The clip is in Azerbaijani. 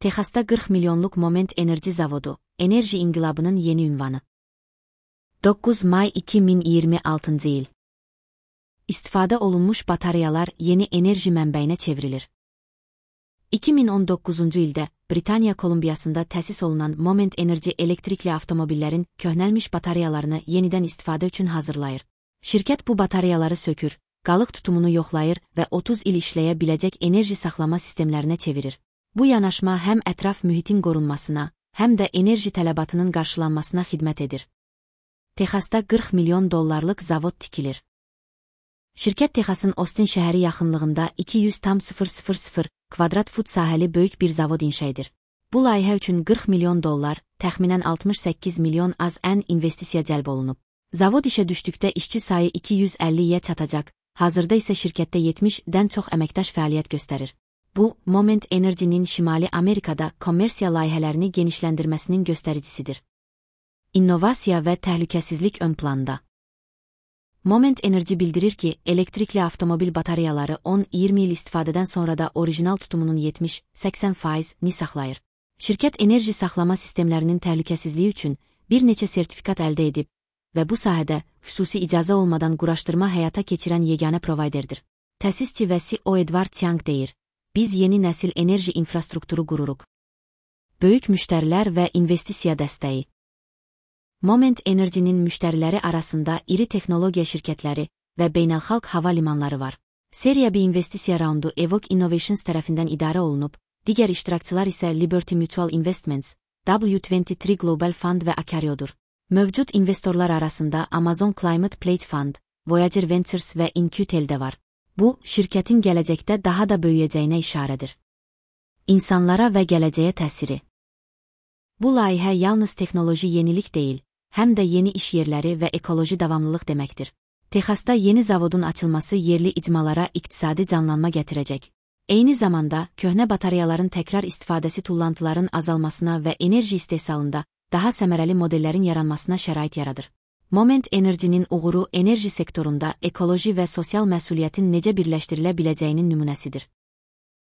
Texasda 40 milyonluq Moment Enerji zavodu, enerji inqilabının yeni ünvanı. 9 may 2026 il. İstifadə olunmuş batareyalar yeni enerji mənbəyinə çevrilir. 2019-cu ildə Britaniya Kolumbiyasında təsis olunan Moment Enerji elektrikli avtomobillərin köhnəlmiş batareyalarını yenidən istifadə üçün hazırlayır. Şirkət bu batareyaları sökür, qalıq tutumunu yoxlayır və 30 il işləyə biləcək enerji saxlama sistemlərinə çevirir. Bu yanaşma həm ətraf mühitin qorunmasına, həm də enerji tələbatının qarşılanmasına xidmət edir. Texasda 40 milyon dollarlıq zavod tikilir. Şirkət Texasın Austin şəhəri yaxınlığında 200,000 kvadrat fut sahəli böyük bir zavod inşa edir. Bu layihə üçün 40 milyon dollar, təxminən 68 milyon az-ən investisiya cəlb olunub. Zavod işə düşdükdə işçi sayı 250-yə çatacaq, hazırda isə şirkətdə 70-dən çox əməkdaş fəaliyyət göstərir. Bu, Moment Enerjinin Şimali Amerikada kommersiya layihələrini genişləndirməsinin göstəricisidir. İnnovasiya və təhlükəsizlik ön planda. Moment Enerji bildirir ki, elektrikli avtomobil batareyaları 10-20 il istifadədən sonra da orijinal tutumunun 70-80%ni saxlayır. Şirkət enerji saxlama sistemlərinin təhlükəsizliyi üçün bir neçə sertifikat əldə edib və bu sahədə xüsusi icazə olmadan quraşdırma həyata keçirən yeganə provayderdir. Təsisçi və CEO Edward Tiang deyir, biz yeni nəsil enerji infrastrukturu qururuq. Böyük müştərilər və investisiya dəstəyi. Moment Enerjinin müştəriləri arasında iri texnologiya şirkətləri və beynəlxalq hava limanları var. Seriya bir investisiya raundu Evoque Innovations tərəfindən idarə olunub, digər iştirakçılar isə Liberty Mutual Investments, W23 Global Fund və Acario'dur. Mövcud investorlar arasında Amazon Climate Pledge Fund, Voyager Ventures və InQtel də var. Bu, şirkətin gələcəkdə daha da böyüyəcəyinə işarədir. İnsanlara və gələcəyə təsiri. Bu layihə yalnız texnoloji yenilik deyil, həm də yeni iş yerləri və ekoloji davamlılıq deməkdir. Texasda yeni zavodun açılması yerli icmalara iqtisadi canlanma gətirəcək. Eyni zamanda, köhnə batareyaların təkrar istifadəsi tullantıların azalmasına və enerji istehsalında daha səmərəli modellərin yaranmasına şərait yaradır. Moment Enerjinin uğuru enerji sektorunda ekoloji və sosial məsuliyyətin necə birləşdirilə biləcəyinin nümunəsidir.